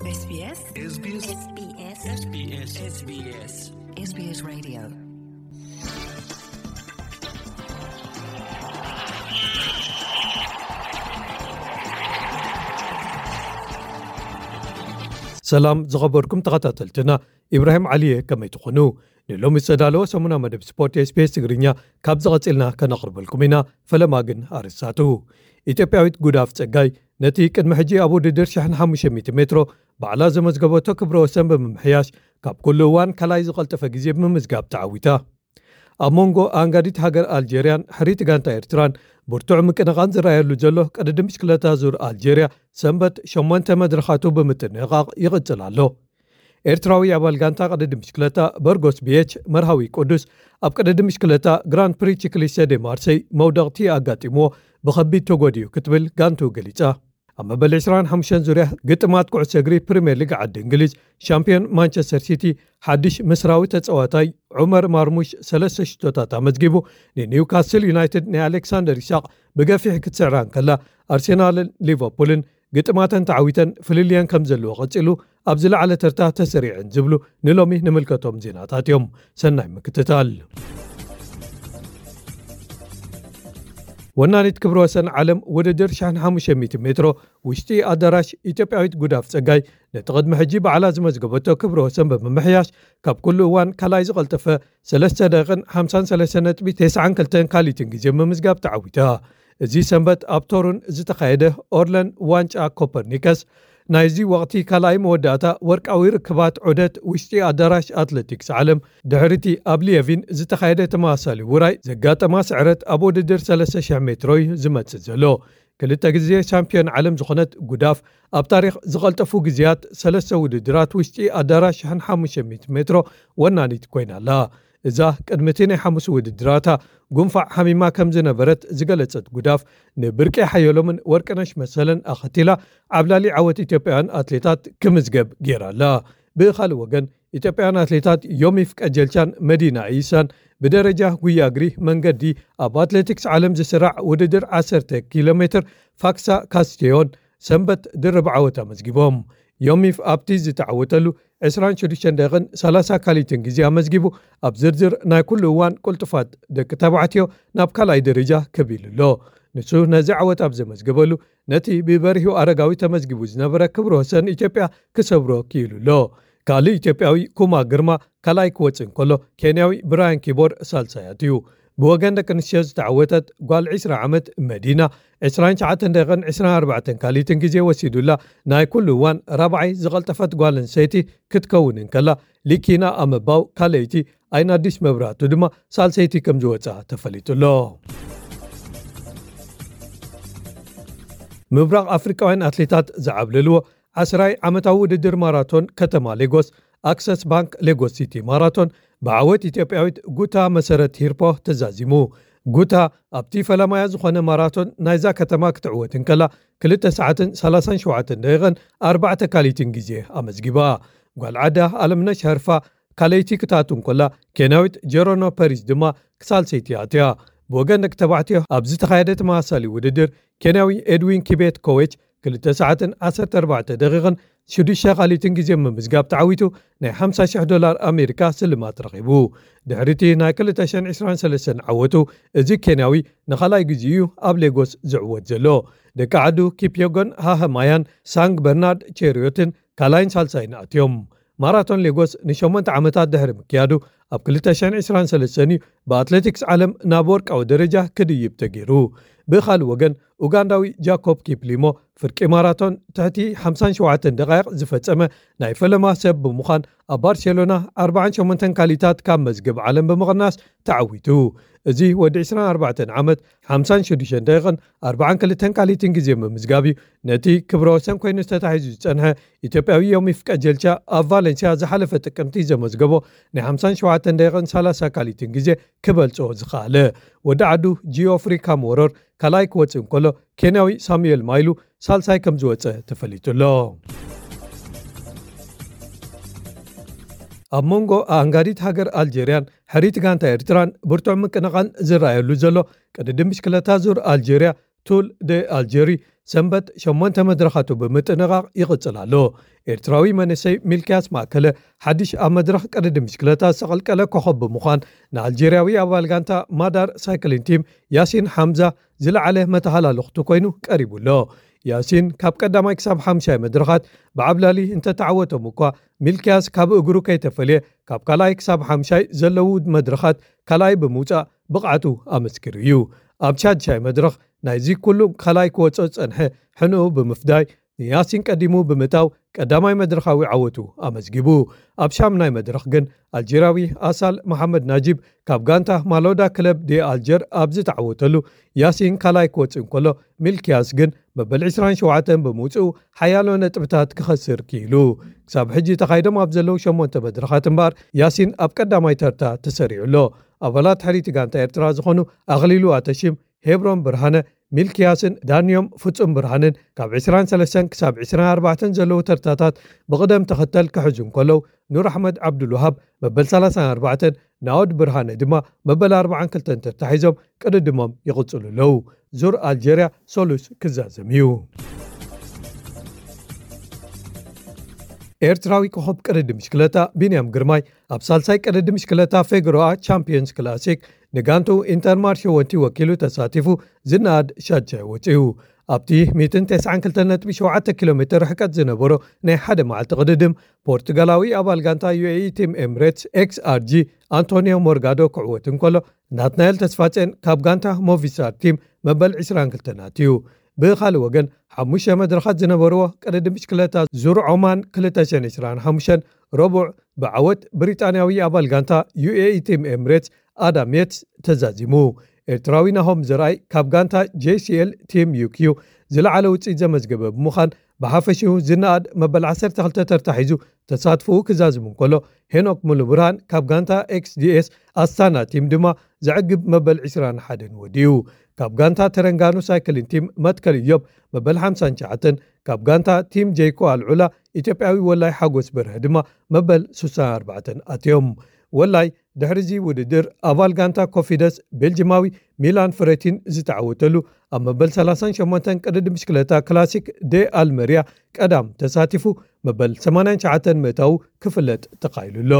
SBS SBS SBS SBS SBS Radio. ሰላም ዝኸበርኩም ተኸታተልትና፣ ኢብራሂም ዓሊየ፣ ከመይ ትኾኑ? ንሎሚ ዝተዳለወ ሰሙና መደብ ስፖርት SBS ትግርኛ ካብ ዝቐጽልና ከነቕርበልኩም ኢና። ፈለማ ግን ኣርእስታቱ። ኢትዮጵያዊት ጉዳፍ ጸጋይ ነቲ ቅድሚ ሕጂ ኣብ ውድድር ሽሕን ሓሙሽተ ሚእቲ ሜትሮ ባዕላ ዘመዝገበቶ ክብረ ወሰን ብምምሕያሽ ካብ ኩሉ እዋን ካልኣይ ዝቐልጠፈ ግዜ ብምምዝጋብ ተዓዊታ። ኣብ መንጎ ኣንጋዲት ሃገር ኣልጀርያን ሕሪት ጋንታ ኤርትራን ብርቱዕ ምቅንቓን ዝረኣየሉ ዘሎ ቅድድም ብሽክለታ ዙር ኣልጀርያ ሰንበት ሸሞንተ መድረኻቱ ብምጥንቓቕ ይቕጽል ኣሎ። ኤርትራዊ ኣባል ጋንታ ቅድድም ብሽክለታ በርጎስ ቢኤች መርሃዊ ቅዱስ ኣብ ቅድድም ብሽክለታ ግራንድ ፕሪ ቺክሊስተ ዴ ማርሰይ መውደቕቲ ኣጋጢምዎ ብኸቢድ ተጎዲኡ ክትብል ጋንቱ ገሊጻ። ኣብ መበል ዕስራን ሓሙሽተን ዙርያ ግጥማት ኩዕሶ እግሪ ፕሪምየር ሊግ ዓዲ እንግሊዝ ሻምፒዮን ማንቸስተር ሲቲ ሓድሽ ምስራዊ ተጻዋታይ ዑመር ማርሙሽ ሰለስተ ሽቶታት ኣመዝጊቡ፣ ንኒውካስል ዩናይትድ ናይ ኣሌክሳንደር ኢሳቕ ብገፊሕ ክትስዕራ እንከላ፣ ኣርሴናልን ሊቨርፑልን ግጥማተን ተዓዊተን ፍልልየን ከም ዘለዎ ቀጺሉ ኣብ ዝለዓለ ተርታ ተሰሪዐን ዝብሉ ንሎሚ ንምልከቶም ዜናታት እዮም። ሰናይ ምክትታል። ወናኒት ክብረ ወሰን ዓለም ውድድር ሽሕን ሓሙሽተ ሚእቲ ሜትሮ ውሽጢ ኣዳራሽ ኢትዮጵያዊት ጉዳፍ ጸጋይ ነቲ ቅድሚ ሕጂ ባዕላ ዝመዝገበቶ ክብረ ወሰን ብምምሕያሽ ካብ ኩሉ እዋን ካልኣይ ዝቐልጠፈ ሰለስተ ደቂቕን ሓምሳን ሰለስተ ነጥቢ ተስዓን ክልተን ካልኢትን ግዜ ምምዝጋብ ተዓዊታ። እዚ ሰንበት ኣብ ቶሩን ዝተኻየደ ኦርለን ዋንጫ ኮፐርኒከስ ናይዚ ወቕቲ ካልኣይ መወዳእታ ወርቃዊ ርክባት ዑደት ውሽጢ ኣዳራሽ ኣትሌቲክስ ዓለም ድሕሪቲ ኣብ ሊየቪን ዝተኻየደ ተመሳሳሊ ውራይ ዘጋጠማ ስዕረት ኣብ ውድድር ሰለስተ ሽሕ ሜትሮ እዩ ዝመጽእ ዘሎ። ክልተ ግዜ ሻምፒዮን ዓለም ዝኾነት ጉዳፍ ኣብ ታሪኽ ዝቐልጠፉ ግዜያት ሰለስተ ውድድራት ውሽጢ ኣዳራሽ ሽሕን ሓሙሽተ ሚእቲ ሜትሮ ወናኒት ኮይና ኣላ። እዛ ቅድሚ እቲ ናይ ሓሙስ ውድድራታ ጉንፋዕ ሓሚማ ከም ዝነበረት ዝገለጸት ጉዳፍ፣ ንብርቂ ሓየሎምን ወርቅነሽ መሰለን ኣኸቲላ ዓብላሊ ዓወት ኢትዮጵያውያን ኣትሌታት ክምዝገብ ገይራ ኣላ። ብኻልእ ወገን፣ ኢትዮጵያውያን ኣትሌታት ዮሚፍ ቀጀልቻን መዲና ኢሳን ብደረጃ ጉያ እግሪ መንገዲ ኣብ ኣትሌቲክስ ዓለም ዝስራዕ ውድድር ዓሰርተ ኪሎ ሜትር ፋክሳ ካስቴዮን ሰንበት ድርብ ዓወት ኣመዝጊቦም። ዮሚፍ ኣብቲ ዝተዓወተሉ ዕስራን ሽዱሽተን ደቂቕን ሰላሳ ካልኢትን ግዜ ኣመዝጊቡ፣ ኣብ ዝርዝር ናይ ኩሉ እዋን ቅልጡፋት ደቂ ተባዕትዮ ናብ ካልኣይ ደረጃ ክብ ኢሉ ኣሎ። ንሱ ነዚ ዓወት ኣብ ዘመዝገበሉ፣ ነቲ ብበሪሁ ኣረጋዊ ተመዝጊቡ ዝነበረ ክብረ ወሰን ኢትዮጵያ ክሰብሮ ክኢሉ ኣሎ። ካልእ ኢትዮጵያዊ ኩማ ግርማ ካልኣይ ክወጽእ እንከሎ፣ ኬንያዊ ብራያን ኪቦር ሳልሳይ ኣትዩ። ብወገን ደቂ ኣንስትዮ ዝተዓወተት ጓል ዕስራ ዓመት መዲና፣ ዕስራን ትሽዓተን ደቂቕን ዕስራን ኣርባዕተን ካልኢትን ግዜ ወሲዱላ፣ ናይ ኩሉ እዋን ራብዓይ ዝቐልጠፈት ጓል ኣንስተይቲ ክትከውን እንከላ፣ ሊኪና ኣመባው ካልኣይቲ፣ ኣይን ኣዲስ መብራህቱ ድማ ሳልሰይቲ ከም ዝወጽኣ ተፈሊጡ ኣሎ። ምብራቕ ኣፍሪቃውያን ኣትሌታት ዝዓብለልዎ ዓስራይ ዓመታዊ ውድድር ማራቶን ከተማ ሌጎስ፣ ኣክሰስ ባንክ ሌጎስ ሲቲ ማራቶን፣ ብዓወት ኢትዮጵያዊት ጉታ መሰረት ሂርፖ ተዛዚሙ። ጉታ ኣብቲ ፈለማያ ዝኾነ ማራቶን ናይዛ ከተማ ክትዕወት እንከላ፣ ክልተ ሰዓትን ሰላሳን ሸውዓተን ደቂቕን ኣርባዕተ ካልኢትን ግዜ ኣመዝጊባ። ጓል ዓዳ ኣለምነሽ ሀርፋ ካልኣይቲ ክትኣቱ እንከላ፣ ኬንያዊት ጀሮኖ ፐሪዝ ድማ ክሳልሰይቲ ኣትያ። ብወገን ደቂ ተባዕትዮ ኣብ ዝተኻየደ ተመሳሳሊ ውድድር፣ ኬንያዊ ኤድዊን ኪቤት ኮዌች ክልተ ሰዓትን ዓሰርተ ኣርባዕተ ደቂቕን ሽዱሽተ ካልኢትን ግዜ ምምዝጋብ ተዓዊቱ ናይ ሓምሳ ሽሕ ዶላር ኣሜሪካ ስልማት ረኺቡ። ድሕሪቲ ናይ ክልተ ሽሕን ዕስራን ሰለስተን ዓወቱ፣ እዚ ኬንያዊ ንኻልኣይ ግዜ እዩ ኣብ ሌጎስ ዝዕወት ዘሎ። ደቂ ዓዱ ኪፕዮጎን ሃሃማያን ሳንግ በርናርድ ቼሪዮትን ካልኣይን ሳልሳይን ኣትዮም። ማራቶን ሌጎስ ንሸሞንተ ዓመታት ድሕሪ ምክያዱ፣ ኣብ ክልተ ሽሕን ዕስራን ሰለስተን እዩ ብኣትሌቲክስ ዓለም ናብ ወርቃዊ ደረጃ ክድይብ ተገይሩ። ብኻልእ ወገን፣ ኡጋንዳዊ ጃኮብ ኪፕሊሞ ፍርቂ ማራቶን ትሕቲ ሓምሳን ሸውዓተን ደቃይቕ ዝፈጸመ ናይ ፈለማ ሰብ ብምዃን፣ ኣብ ባርሴሎና ኣርባዓን ሸሞንተን ካልኢታት ካብ መዝገብ ዓለም ብምቕናስ ተዓዊቱ። እዚ ወዲ ዕስራን ኣርባዕተን ዓመት ሓምሳን ሽዱሽተን ደቂቕን ኣርባዓን ክልተን ካልኢትን ግዜ ምምዝጋብ እዩ ነቲ ክብረ ወሰን ኮይኑ ዝተታሒዙ ዝጸንሐ ኢትዮጵያዊ ዮሚፍ ቀጀልቻ ኣብ ቫለንሲያ ዝሓለፈ ጥቅምቲ ዘመዝገቦ ናይ ሓምሳን ሸውዓተን ደቂቕን ሰላሳ ካልኢትን ግዜ ክበልጾ ዝኸኣለ። ወዲ ዓዱ ጂኦፍሪ ካምወረር ካልኣይ ክወጽእ እንከሎ፣ ኬንያዊ ሳሙኤል ማይሉ ሳልሳይ ከም ዝወጸ ተፈሊጡ ኣሎ። ኣብ መንጎ ኣንጋዲት ሃገር ኣልጀርያን ሕሪት ጋንታ ኤርትራን ብርቱዕ ምቅንቓን ዝረኣየሉ ዘሎ ቅድድም ብሽክለታ ዙር ኣልጀርያ ቱል ደ ኣልጀሪ ሰንበት ሸሞንተ መድረኻቱ ብምጥንቓቕ ይቕጽል ኣሎ። ኤርትራዊ መንእሰይ ሚልክያስ ማእከለ ሓድሽ ኣብ መድረኽ ቅድድም ብሽክለታ ዝተቐልቀለ ኮኸብ ብምዃን፣ ንኣልጀርያዊ ኣባል ጋንታ ማዳር ሳይክሊን ቲም ያሲን ሓምዛ ዝለዓለ መተሃላልኽቱ ኮይኑ ቀሪቡ ኣሎ። ያሲን ካብ ቀዳማይ ክሳብ ሓምሻይ መድረኻት ብዓብላሊ እንተተዓወቶም እኳ፣ ሚልክያስ ካብ እግሩ ከይተፈልየ ካብ ካልኣይ ክሳብ ሓምሻይ ዘለዉ መድረኻት ካልኣይ ብምውጻእ ብቕዓቱ ኣመስኪሩ እዩ። ኣብ ሻድሻይ መድረኽ ናይዚ ኩሉ ካልኣይ ክወጽኦ ዝጸንሐ ሕንኡ ብምፍዳይ፣ ንያሲን ቀዲሙ ብምእታው ቀዳማይ መድረኻዊ ዓወቱ ኣመዝጊቡ። ኣብ ሻምናይ መድረኽ ግን ኣልጀርያዊ ኣሳል መሓመድ ናጂብ ካብ ጋንታ ማሎዳ ክለብ ዲ ኣልጀር ኣብ ዝተዓወተሉ፣ ያሲን ካልኣይ ክወጽእ እንከሎ፣ ሚልክያስ ግን መበል ዕስራን ሸውዓተን ብምውጽኡ ሓያሎ ነጥብታት ክኸስር ክኢሉ። ክሳብ ሕጂ ተኻይዶም ኣብ ዘለዉ ሸሞንተ መድረኻት እምበኣር፣ ያሲን ኣብ ቀዳማይ ተርታ ተሰሪዑ ኣሎ። ኣባላት ሕሪቲ ጋንታ ኤርትራ ዝኾኑ ኣኽሊሉ ኣተሺም፣ ሄብሮን ብርሃነ፣ ሚልክያስን ዳንዮም ፍጹም ብርሃንን ካብ ዕስራን ሰለስተን ክሳብ ዕስራን ኣርባዕተን ዘለዉ ተርታታት ብቕደም ተኸተል ክሕዙ እንከለዉ፣ ኑር ኣሕመድ ዓብዱልውሃብ መበል ሰላሳን ኣርባዕተን፣ ናኦድ ብርሃነ ድማ መበል ኣርባዓን ክልተን ተታሒዞም ቅድድሞም ይቕጽሉ ኣለዉ። ዙር ኣልጀርያ ሰሉስ ክዛዘም እዩ። ኤርትራዊ ኮኸብ ቅድድም ብሽክለታ ቢንያም ግርማይ ኣብ ሳልሳይ ቅድድም ብሽክለታ ፌግሮኣ ቻምፒዮንስ ክላሲክ ንጋንቱ ኢንተርማርሽ ወንቲ ወኪሉ ተሳቲፉ ዝነኣድ ሻድሻይ ወጺኡ። ኣብቲ ሚእትን ተስዓን ክልተን ነጥቢ ሸውዓተ ኪሎ ሜትር ርሕቀት ዝነበሮ ናይ ሓደ መዓልቲ ቅድድም፣ ፖርቱጋላዊ ኣባል ጋንታ ዩ ኤ ኢ ቲም ኤምሬትስ ኤክስ ኣር ጂ ኣንቶኒዮ ሞርጋዶ ክዕወት እንከሎ፣ ናትናኤል ተስፋጼን ካብ ጋንታ ሞቪስታር ቲም መበል ዕስራን ክልተን ኣትዩ። ብኻልእ ወገን፣ ሓሙሽተ መድረኻት ዝነበርዎ ቅድድም ብሽክለታ ዙር ዖማን ክልተ ሽሕን ዕስራን ሓሙሽተን ረቡዕ ብዓወት ብሪጣንያዊ ኣባል ጋንታ ዩ ኤ ኢ ቲም ኤምሬትስ ኣዳም የትስ ተዛዚሙ። ኤርትራዊ ናሆም ዘርኣይ ካብ ጋንታ ጄ ሲ ኤል ቲም ዩ ኪው ዝለዓለ ውጽኢት ዘመዝገበ ብምዃን፣ ብሓፈሽኡ ዝነኣድ መበል ዓሰርተ ክልተ ተርታ ሒዙ ተሳትፎኡ ክዛዝም እንከሎ፣ ሄኖክ ሙሉብርሃን ካብ ጋንታ ኤክስ ዲ ኤስ ኣስታና ቲም ድማ ዘዕግብ መበል ዕስራን ሓደን ወዲኡ። ካብ ጋንታ ተረንጋኑ ሳይክሊን ቲም መትከል እዮም መበል ሓምሳን ትሽዓተን፣ ካብ ጋንታ ቲም ጄይኮ ኣልዑላ ኢትዮጵያዊ ወላይ ሓጎስ በርሀ ድማ መበል ሱሳን ኣርባዕተን ኣትዮም። ወላይ ድሕሪዚ ውድድር ኣባል ጋንታ ኮፊደስ ቤልጅማዊ ሚላን ፍሬቲን ዝተዓወተሉ፣ ኣብ መበል ሰላሳን ሸሞንተን ቅድድም ብሽክለታ ክላሲክ ዴ ኣልመርያ ቀዳም ተሳቲፉ መበል ሰማንያን ትሽዓተን ምእታዉ ክፍለጥ ተኻኢሉ ኣሎ።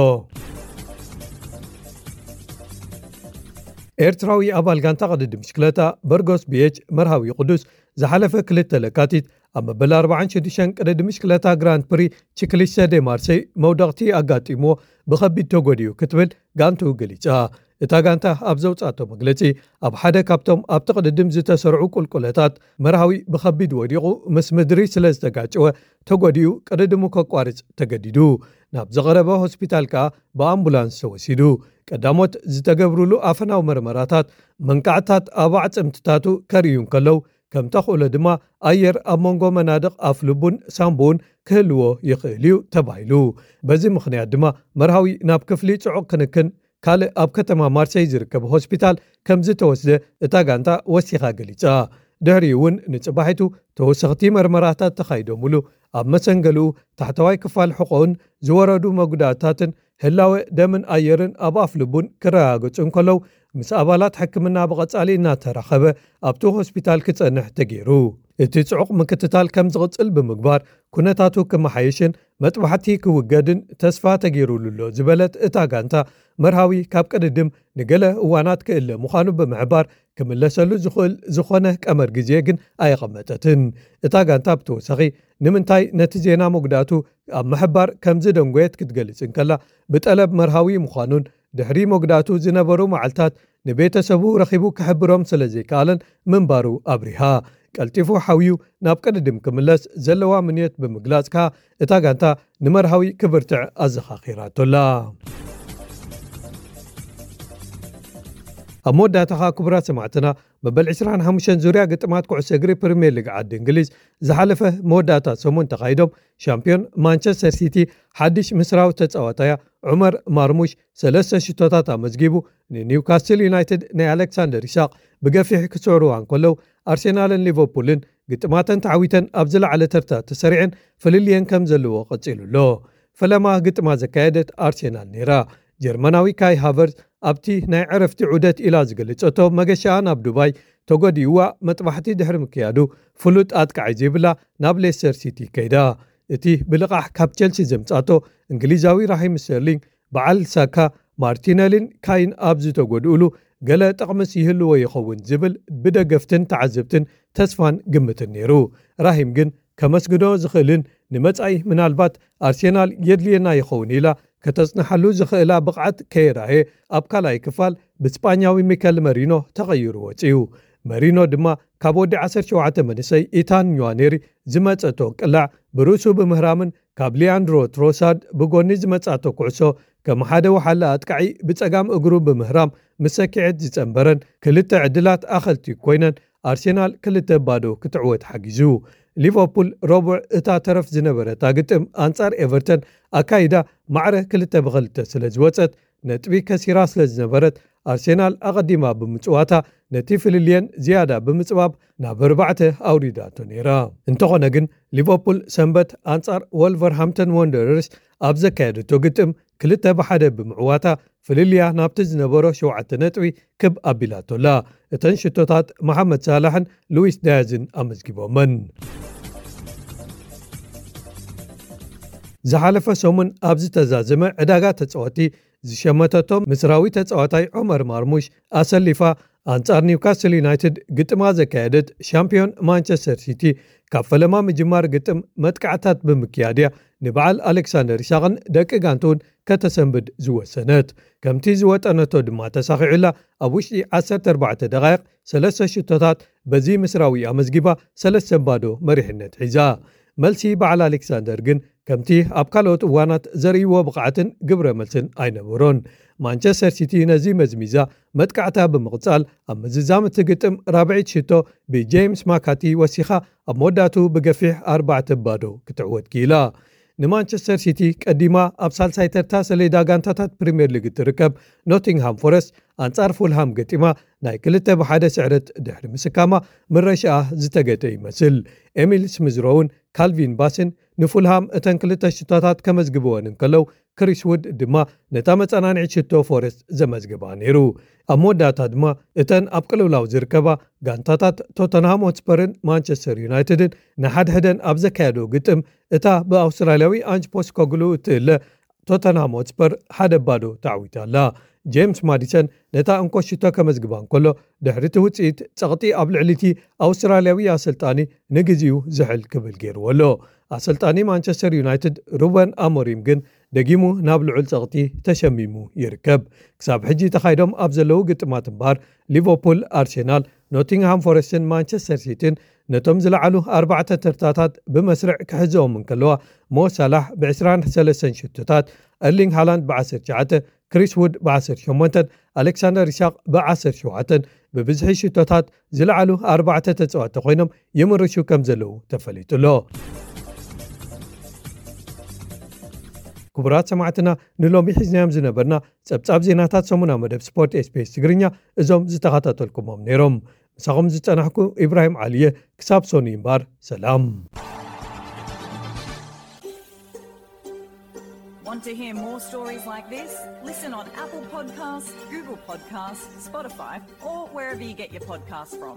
ኤርትራዊ ኣባል ጋንታ ቅድድም ብሽክለታ በርጎስ ቢ ኤች መርሃዊ ቅዱስ ዝሓለፈ ክልተ ለካቲት ኣብ መበል ኣርባዓን ሽዱሽተን ቅድድም ብሽክለታ ግራንድ ፕሪ ቺክሊስተ ዴ ማርሴይ መውደቕቲ ኣጋጢምዎ ብኸቢድ ተጎዲኡ ክትብል ጋንቱ ገሊጻ። እታ ጋንታ ኣብ ዘውጻቶ መግለጺ፣ ኣብ ሓደ ካብቶም ኣብቲ ቅድድም ዝተሰርዑ ቁልቁለታት መርሃዊ ብኸቢድ ወዲቑ ምስ ምድሪ ስለ ዝተጋጨወ ተጎዲኡ ቅድድሙ ከቋርጽ ተገዲዱ። ናብ ዝቐረበ ሆስፒታል ከኣ ብኣምቡላንስ ተወሲዱ። ቀዳሞት ዝተገብሩሉ ኣፈናዊ መርመራታት መንቃዕታት ኣብ ኣዕጽምትታቱ ከርእዩ እንከለዉ፣ ከም ተኽእሎ ድማ ኣየር ኣብ መንጎ መናድቕ ኣፍልቡን ሳምቡኡን ክህልዎ ይኽእል እዩ ተባሂሉ። በዚ ምኽንያት ድማ መርሃዊ ናብ ክፍሊ ጽዑቕ ክንክን ካልእ ኣብ ከተማ ማርሴይ ዝርከብ ሆስፒታል ከም ዝተወስደ እታ ጋንታ ወሲኻ ገሊጻ። ድሕሪኡ እውን ንጽባሒቱ ተወሰኽቲ መርመራታት ተኻይዶምሉ። ኣብ መሰንገሊኡ ታሕተዋይ ክፋል ሕቖኡን ዝወረዱ መጉዳእታትን ህላወ ደምን ኣየርን ኣብ ኣፍልቡን ክረጋገጹ እንከለዉ፣ ምስ ኣባላት ሕክምና ብቐጻሊ እናተራኸበ ኣብቲ ሆስፒታል ክጸንሕ ተገይሩ። እቲ ጽዑቕ ምክትታል ከም ዝቕጽል ብምግባር፣ ኩነታቱ ክመሓየሽን መጥባሕቲ ክውገድን ተስፋ ተገይሩሉ ኣሎ ዝበለት እታ ጋንታ፣ መርሃዊ ካብ ቅድድም ንገለ እዋናት ክእለ ምዃኑ ብምሕባር፣ ክምለሰሉ ዝኽእል ዝኾነ ቀመር ግዜ ግን ኣየቐመጠትን። እታ ጋንታ ብተወሳኺ፣ ንምንታይ ነቲ ዜና መጉዳእቱ ኣብ ምሕባር ከም ዝደንጎየት ክትገልጽ እንከላ፣ ብጠለብ መርሃዊ ምዃኑን ድሕሪ መጉዳእቱ ዝነበሩ መዓልታት ንቤተሰቡ ረኺቡ ክሕብሮም ስለ ዘይከኣለን ምንባሩ ኣብሪሃ። ቀልጢፉ ሓውዩ ናብ ቅድድም ክምለስ ዘለዋ ምንዮት ብምግላጽ ከኣ፣ እታ ጋንታ ንመርሃዊ ክብርትዕ ኣዘኻኺራቶላ። ኣብ መወዳእታ ከኣ፣ ክቡራት ሰማዕትና፣ መበል ዕስራን ሓሙሽተን ዙርያ ግጥማት ኩዕሶ እግሪ ፕሪምየር ሊግ ዓዲ እንግሊዝ ዝሓለፈ መወዳእታ ሰሙን ተኻይዶም፣ ሻምፒዮን ማንቸስተር ሲቲ ሓድሽ ምስራዊ ተጻዋታያ ዑመር ማርሙሽ ሰለስተ ሽቶታት ኣመዝጊቡ፣ ንኒውካስትል ዩናይትድ ናይ ኣሌክሳንደር ኢሳቕ ብገፊሕ ክስዕርዋ እንከለዉ፣ ኣርሴናልን ሊቨርፑልን ግጥማተን ተዓዊተን ኣብ ዝለዓለ ተርታ ተሰሪዐን ፍልልየን ከም ዘለዎ ቀጺሉ ኣሎ። ፈለማ ግጥማ ዘካየደት ኣርሴናል ነይራ። ጀርመናዊ ካይ ሃቨርዝ ኣብቲ ናይ ዕረፍቲ ዑደት ኢላ ዝገለጸቶ መገሻኣ ናብ ዱባይ ተጎዲእዋ መጥባሕቲ ድሕሪ ምክያዱ ፍሉጥ ኣጥቃዒ ዘይብላ ናብ ሌስተር ሲቲ ከይዳ። እቲ ብልቓሕ ካብ ቸልሲ ዘምጻቶ እንግሊዛዊ ራሂም ስተርሊንግ በዓል ሳካ፣ ማርቲነሊን ካይን ኣብ ዝተጎድኡሉ ገለ ጥቕምስ ይህልዎ ይኸውን ዝብል ብደገፍትን ተዓዘብትን ተስፋን ግምትን ነይሩ። ራሂም ግን ከመስግኖ ዝኽእልን ንመጻኢ ምናልባት ኣርሴናል የድልየና ይኸውን ኢላ ከተጽንሓሉ ዝኽእላ ብቕዓት ከየራየ ኣብ ካልኣይ ክፋል ብስጳኛዊ ሚከል መሪኖ ተቐይሩ ወጺኡ። መሪኖ ድማ ካብ ወዲ ዓሰርተ ሸውዓተ መንእሰይ ኢታን ኛዋኔሪ ዝመጸቶ ቅላዕ ብርእሱ ብምህራምን ካብ ሊያንድሮ ትሮሳርድ ብጎኒ ዝመጻቶ ኩዕሶ ከም ሓደ ወሓለ ኣጥቃዒ ብጸጋም እግሩ ብምህራም ምስ ሰኪዐት ዝጸንበረን ክልተ ዕድላት ኣኸልቲ ኮይነን ኣርሴናል ክልተ ባዶ ክትዕወት ሓጊዙ። ሊቨርፑል ረቡዕ እታ ተረፍ ዝነበረታ ግጥም ኣንጻር ኤቨርተን ኣካይዳ ማዕረ ክልተ ብክልተ ስለ ዝወጸት ነጥቢ ከሲራ ስለ ዝነበረት ኣርሴናል ኣቐዲማ ብምጽዋታ ነቲ ፍልልየን ዝያዳ ብምጽባብ ናብ ኣርባዕተ ኣውሪዳቶ ነይራ። እንተኾነ ግን ሊቨርፑል ሰንበት ኣንጻር ወልቨርሃምተን ወንደረርስ ኣብ ዘካየደቶ ግጥም ክልተ ብሓደ ብምዕዋታ ፍልልያ ናብቲ ዝነበሮ ሸውዓተ ነጥቢ ክብ ኣቢላቶላ። እተን ሽቶታት መሓመድ ሳላሕን ሉዊስ ዳያዝን ኣመዝጊቦመን። ዝሓለፈ ሰሙን ኣብ ዝተዛዘመ ዕዳጋ ተጻወቲ ዝሸመተቶ ምስራዊ ተጻዋታይ ዑመር ማርሙሽ ኣሰሊፋ ኣንጻር ኒውካስል ዩናይትድ ግጥማ ዘካየደት ሻምፒዮን ማንቸስተር ሲቲ ካብ ፈለማ ምጅማር ግጥም መጥቃዕታት ብምክያድያ ንበዓል ኣሌክሳንደር ኢሳቕን ደቂ ጋንቱን ከተሰንብድ ዝወሰነት። ከምቲ ዝወጠነቶ ድማ ተሳኺዑላ ኣብ ውሽጢ ዓሰርተ ኣርባዕተ ደቓይቕ ሰለስተ ሽቶታት በዚ ምስራዊ ኣመዝጊባ ሰለስተ ባዶ መሪሕነት ሒዛ። መልሲ በዓል ኣሌክሳንደር ግን ከምቲ ኣብ ካልኦት እዋናት ዘርእይዎ ብቕዓትን ግብረ መልስን ኣይነበሮን። ማንቸስተር ሲቲ ነዚ መዝሚዛ መጥቃዕታ ብምቕጻል ኣብ ምዝዛም እቲ ግጥም ራብዒት ሽቶ ብጄምስ ማካቲ ወሲኻ ኣብ መወዳእቱ ብገፊሕ ኣርባዕተ ባዶ ክትዕወት ክኢላ። ንማንቸስተር ሲቲ ቀዲማ ኣብ ሳልሳይ ተርታ ሰሌዳ ጋንታታት ፕሪምየር ሊግ እትርከብ ኖቲንግሃም ፎረስት ኣንጻር ፉልሃም ገጢማ ናይ ክልተ ብሓደ ስዕረት ድሕሪ ምስካማ ምረሻኣ ዝተገጠ ይመስል። ኤሚል ስሚዝሮውን ካልቪን ባስን ንፉልሃም እተን ክልተ ሽቶታት ከመዝግብወን እንከለው ክሪስ ውድ ድማ ነታ መጸናንዒት ሽቶ ፎረስት ዘመዝግባ ነይሩ። ኣብ መወዳእታ ድማ እተን ኣብ ቅልውላው ዝርከባ ጋንታታት ቶተንሃም ሆትስፐርን ማንቸስተር ዩናይትድን ንሓድሕደን ኣብ ዘካየዶ ግጥም እታ ብኣውስትራልያዊ ኣንጅ ፖስኮግሉ እትእለ ቶተንሃም ሆትስፐር ሓደ ባዶ ተዓዊታ ኣላ። ጄምስ ማዲሰን ነታ እንኮ ሽቶ ከመዝግባ እንከሎ ድሕሪ እቲ ውጽኢት ጸቕጢ ኣብ ልዕሊ እቲ ኣውስትራልያዊ ኣሰልጣኒ ንግዜኡ ዝሕል ክብል ገይርዎ ኣሎ። ኣሰልጣኒ ማንቸስተር ዩናይትድ ሩበን ኣሞሪም ግን ደጊሙ ናብ ልዑል ጸቕጢ ተሸሚሙ ይርከብ። ክሳብ ሕጂ ተኻይዶም ኣብ ዘለዉ ግጥማት እምበኣር ሊቨርፑል፣ ኣርሴናል፣ ኖቲንግሃም ፎረስትን ማንቸስተር ሲቲን ነቶም ዝለዓሉ ኣርባዕተ ተርታታት ብመስርዕ ክሕዘኦም እንከለዋ ሞ ሳላሕ ብ23 ሽቶታት፣ ኤርሊንግ ሃላንድ ብ19፣ ክሪስ ውድ ብ18፣ ኣሌክሳንደር ኢሳቕ ብ17 ብብዝሒ ሽቶታት ዝለዓሉ ኣርባዕተ ተጻወቲ ኮይኖም ይምርሹ ከም ዘለዉ ተፈሊጡ ኣሎ። ክቡራት ሰማዕትና ንሎሚ ሒዝናዮም ዝነበርና ጸብጻብ ዜናታት ሰሙና መደብ ስፖርት ኤስቢኤስ ትግርኛ እዞም ዝተኸታተልኩሞም ነይሮም። ምሳኹም ዝጸናሕኩ ኢብራሂም ዓሊየ። ክሳብ ሶኒ እምባር ሰላም። Want to hear more stories like this? Listen on Apple Podcasts, Google Podcasts, Spotify, or wherever you get your podcasts from.